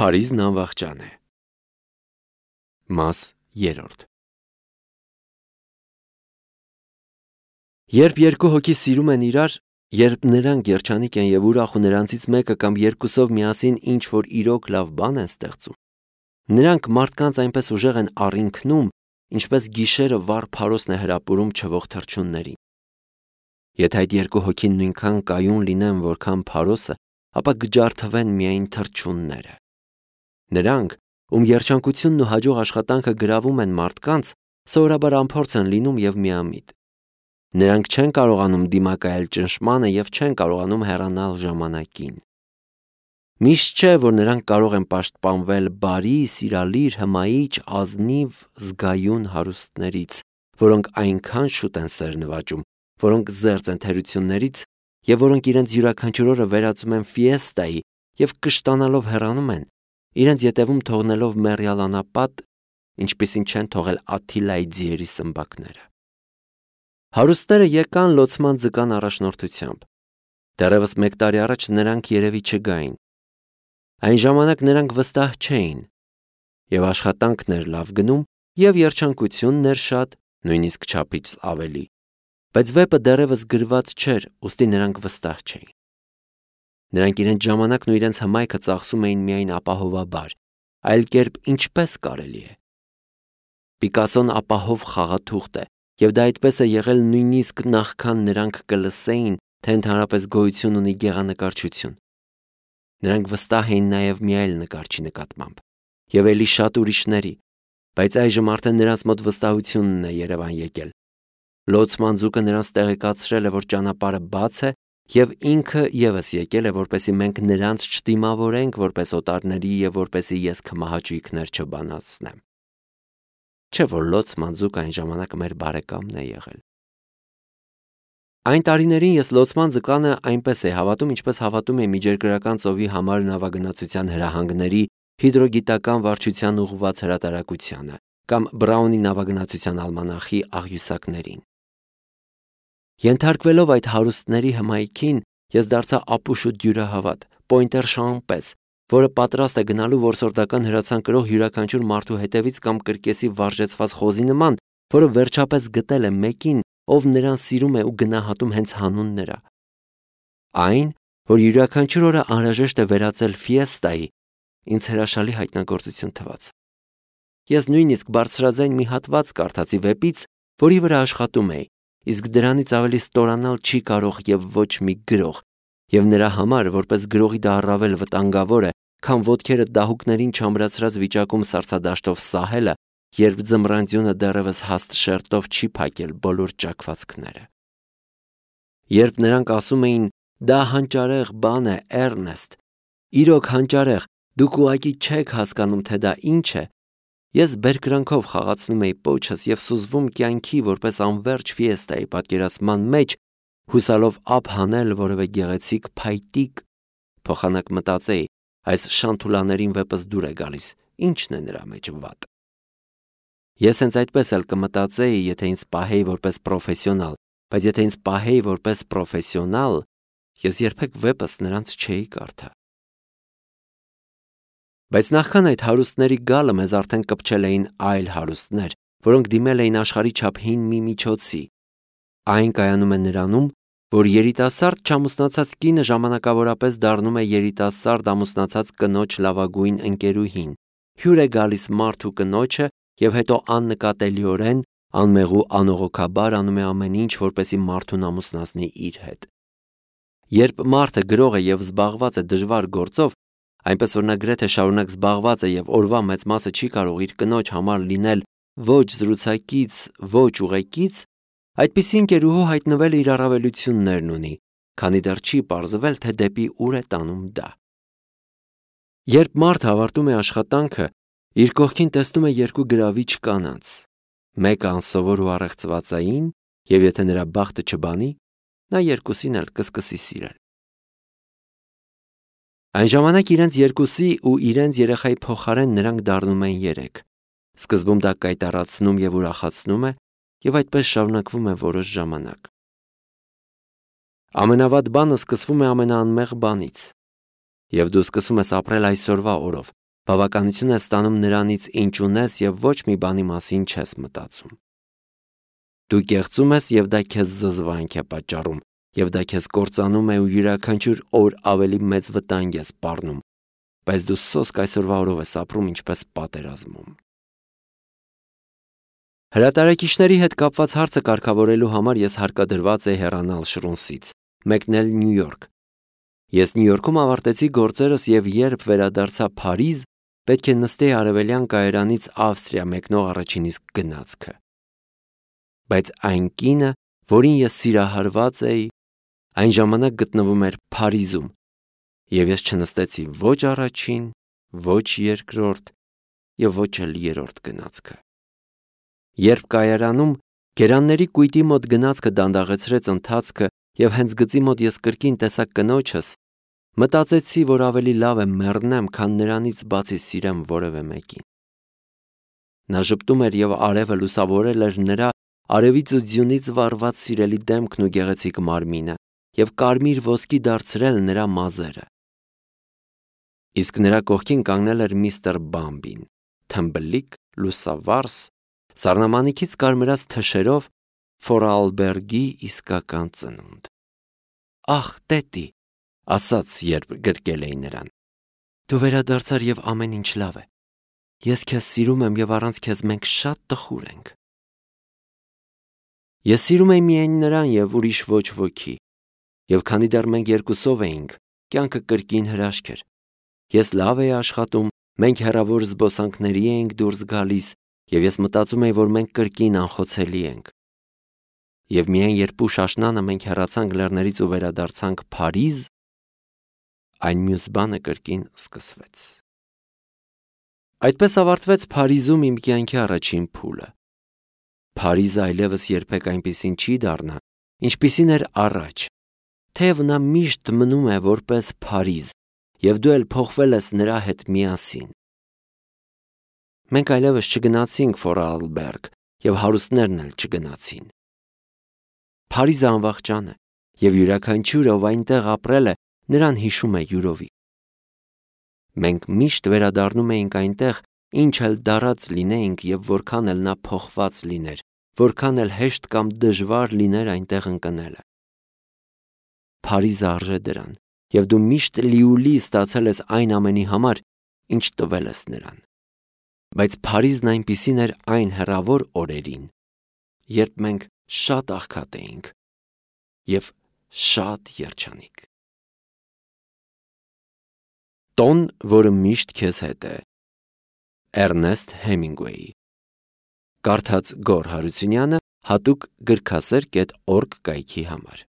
Փարիզն անվախճան է։ Մաս 3 Երբ երկու հոգի սիրում են իրար, երբ նրանք երջանիկ են և ուրախ ու նրանցից մեկը կամ երկուսով միասին ինչ-որ իրոք լավ բան են ստեղծում, նրանք մարդկանց այնպես ուժեղ են առինքնում, ինչպես գիշերը վառ փարոսն է հրապուրում չվող թռչուններին։ Եթե այդ երկու հոգին նույնքան կայուն լինեն, որքան փարոսը, ապա կջարդվեն միայն թռչունները։ Նրանք, ում երջանկությունն ու հաջող աշխատանքը գրավում են մարդկանց, սովորաբար անփորձ են լինում և միամիտ։ Նրանք չեն կարողանում դիմակայել ճնշմանը և չեն կարողանում հեռանալ ժամանակին։ Միշտ չէ, որ նրանք կարող են պաշտպանվել բարի, սիրալիր, հմայիչ, ազնիվ, զգայուն հարուստներից, որոնք այնքան շուտ են սեր նվաճում, որոնք զերծ են թերություններից և որոնք իրենց յուրաքանչյուր օրը վերածում են ֆիեստայի և կշտանալով հեռանում են, իրենց ետևում թողնելով մեռյալ անապատ, ինչպիսին չեն թողել Աթիլայի ձիերի սմբակները։ Հարուստները եկան լոցման ձկան առաջնորդությամբ։ Դեռևս 1 տարի առաջ նրանք երևի չգային։ Այն ժամանակ նրանք վստահ չէին, և աշխատանքն էր լավ գնում, և երջանկությունն էր շատ, նույնիսկ չափից ավելի, բայց վեպը դեռևս գրված չէր, ուստի նրանք վստահ չէին։ Նրանք իրենց ժամանակն ու իրենց հմայքը ծախսում էին միայն ապահովաբար, այլ կերպ ինչպես կարելի է։ Պիկասոն ապահով խաղաթուղթ է, և դա այդպես է եղել նույնիսկ նախքան նրանք կլսեին, թե ընդհանրապես գոյություն ունի գեղանկարչություն։ Նրանք վստահ էին նաև մի այլ նկարչի նկատմամբ, և էլի շատ ուրիշների, բայց այժմ արդեն նրանց մոտ վստահությունն է երևան եկել։ Լոցման ձուկը նրանց տեղեկացրել է, որ ճանապարհը բաց է, և ինքը ևս եկել է, որպեսզի մենք նրանց չդիմավորենք որպես օտարների և որպեսզի ես քմահաճույքներ չբանացնեմ։ Չէ՞ որ լոցման ձուկը այն ժամանակ մեր բարեկամն է եղել։ Այն տարիներին ես լոցման ձկանը այնպես էի հավատում, ինչպես հավատում էի Միջերկրական ծովի համար նավագնացության հրահանգների հիդրոգիտական վարչության ուղղված հրատարակությանը կամ Բրաունի նավագնացության ալմանախի աղյուսակներին։ Ենթարկվելով այդ հարուստների հմայքին, ես դարձա ապուշ ու դյուրահավատ, պոյնտեր Շան պես, որը պատրաստ է գնալու որսորդական հրացան կրող յուրաքանչյուր մարդու հետևից կամ կրկեսի վարժեցված խոզի նման, որը վերջապես գտել է մեկին, ով նրան սիրում է ու գնահատում հենց հանուն նրա։ Այն, որ յուրաքանչյուր օրը անհրաժեշտ է վերածել ֆիեստայի, ինձ հրաշալի հայտնագործություն թվաց։ Ես նույնիսկ բարձրաձայն մի հատված կարդացի վեպից, որի վրա աշխատում էի, իսկ դրանից ավելի ստորանալ չի կարող և ոչ մի գրող, և նրա համար, որպես գրողի դա առավել վտանգավոր է, քան ոտքերը դահուկներին չամրացրած վիճակում սառցադաշտով սահելը, երբ ձմռանձյունը դեռևս հաստ շերտով չի փակել բոլոր ճաքվածքները։ Երբ նրանք ասում էին «դա հանճարեղ բան է, Էռնեստ, իրոք հանճարեղ, դուք ուղղակի չեք հասկանում, թե դա ինչ է», ես բերկրանքով խաղացնում էի պոչս և սուզվում կյանքի որպես անվերջ ֆիեստայի պատկերացման մեջ, հուսալով ափ հանել որևէ գեղեցիկ փայտիկ, փոխանակ մտածեի, այս շանթուլաներին վեպս դուր է գալիս, ինչն է նրա մեջ վատ։ Ես հենց այդպես էլ կմտածեի, եթե ինձ պահեի որպես պրոֆեսիոնալ, բայց եթե ինձ պահեի որպես պրոֆեսիոնալ, ես երբեք վեպս նրանց չէի կարդա։ Բայց նախքան այդ հարուստների գալը մեզ արդեն կպչել էին այլ հարուստներ, որոնք դիմել էին աշխարհի չափ հին մի միջոցի։ Այն կայանում է նրանում, որ երիտասարդ չամուսնացած կինը ժամանակավորապես դառնում է երիտասարդ ամուսնացած կնոջ լավագույն ընկերուհին, հյուր է գալիս մարդու կնոջը և հետո աննկատելիորեն, անմեղու անողոքաբար անում է ամեն ինչ, որպեսզի մարդուն ամուսնացնի իր հետ։ Երբ մարդը գրող է և զբաղված է դժվար գործով, այնպես որ նա գրեթե շարունակ զբաղված է և օրվա մեծ մասը չի կարող իր կնոջ համար լինել ոչ զրուցակից, ոչ ուղեկից, այդպիսի ընկերուհու հայտնվել իր առավելություններն ունի, քանի դեռ չի պարզվել, թե դեպի ուր է տանում դա։ Երբ մարդը ավարտում է աշխատանքը, իր կողքին տեսնում է երկու գրավիչ կանանց, մեկը անսովոր ու առեղծվածային, և եթե նրա բախտը չբանի, նա երկուսին էլ կսկսի սիրել։ Այն ժամանակ իրենց երկուսի ու իրենց երեխայի փոխարեն նրանք դառնում են 3։ Սկզբում դա կայտառացնում և ուրախացնում է, և այդպես շարունակվում է որոշ ժամանակ։ Ամենավատ բանը սկսվում է ամենաանմեղ բանից, և դու սկսում ես ապրել այսօրվա օրով, Բավականություն ես ստանում նրանից, ինչ ունես եւ ոչ մի բանի մասին չես մտածում։ Դու կեղծում ես եւ դա քեզ զզվանք է պատճառում, եւ դա քեզ կործանում է ու յուրաքանչյուր օր ավելի մեծ վտանգ ես սպառնում, բայց դու սոսկ այսօրվա օրով ես ապրում ինչպես պատերազմում։ Հրատարակիչների հետ կապված հարցը կարգավորելու համար ես հարկադրված էի հեռանալ Շրունսից, մեկնել Նյու Յորք։ Ես Նյու Յորքում ավարտեցի գործերս եւ երբ վերադարձա Փարիզ, պետք է նստեի արևելյան կայարանից Ավստրիա մեկնող առաջին իսկ գնացքը։ Բայց այն կինը, որին ես սիրահարված էի, այն ժամանակ գտնվում էր Փարիզում, եւ ես չնստեցի ոչ առաջին, ոչ երկրորդ եւ ոչ էլ երրորդ գնացքը։ Երբ կայարանում գերանների կույտի մոտ գնացքը դանդաղեցրեց ընթացքը եւ հենց գծի մոտ ես կրկին տեսա կնոջս, մտածեցի, որ ավելի լավ է մեռնեմ, քան նրանից բացի սիրեմ որևէ մեկին։ Նա ժպտում էր եւ արևը լուսավորել էր նրա արևից ու ձյունից վառված սիրելի դեմքն ու գեղեցիկ մարմինը եւ կարմիր ոսկի դարձրել նրա մազերը։ Իսկ նրա կողքին կանգնել էր միստր Բամբին, թմբլիկ, լուսավարս, սառնամանիքից կարմրած թշերով Ֆորալբերգի իսկական ծնունդ։ Ախ, տետի, ասաց, երբ գրկել էի նրան։ Դու վերադարձար եւ ամեն ինչ լավ է։ Ես քեզ սիրում եմ եւ առանց քեզ մենք շատ տխուր ենք։ Ես սիրում էի միայն նրան եւ ուրիշ ոչ ոքի։ Եվ քանի դեռ մենք երկուսով էինք, կյանքը կրկին հրաշք էր։ Ես լավ էի աշխատում, մենք հեռավոր զբոսանքների էինք դուրս գալիս, եւ ես մտածում էի, որ մենք կրկին անխոցելի ենք։ Եվ միայն երբ ուշ աշնանը մենք հեռացանք լեռներից ու վերադարձանք Փարիզ, այն մյուս բանը կրկին սկսվեց։ Այդպես ավարտվեց Փարիզում իմ կյանքի առաջին փուլը։ Փարիզը այլևս երբեք այնպիսին չի դառնա, ինչպիսին էր առաջ, թեև նա միշտ մնում է որպես Փարիզ, եւ դու էլ փոխվել ես նրա հետ միասին։ Մենք այլևս չգնացինք Ֆորալբերգ եւ հարուստներն էլ չգնացին։ Փարիզը անվախճան է եւ յուրաքանչյուրը, ով այնտեղ ապրել է, նրան հիշում է յուրովի։ Մենք միշտ վերադառնում էինք այնտեղ, ինչ էլ դարած լինեինք եւ որքան էլ նա փոխված լիներ, որքան էլ հեշտ կամ դժվար լիներ այնտեղ ընկնելը։ Փարիզը արժե դրան, եւ դու միշտ լիուլի ստացել ես այն ամենի համար, ինչ տվել ես նրան։ Բայց Փարիզն այնպիսին էր այն հեռավոր օրերին, երբ մենք շատ աղքատ էինք եւ շատ երջանիկ։ Տոն, որը միշտ քեզ հետ է։ Էրնեստ Հեմինգուեյ։ Կարդաց Գոռ Հարությունյանը հատուկ գրքասեր.org կայքի համար։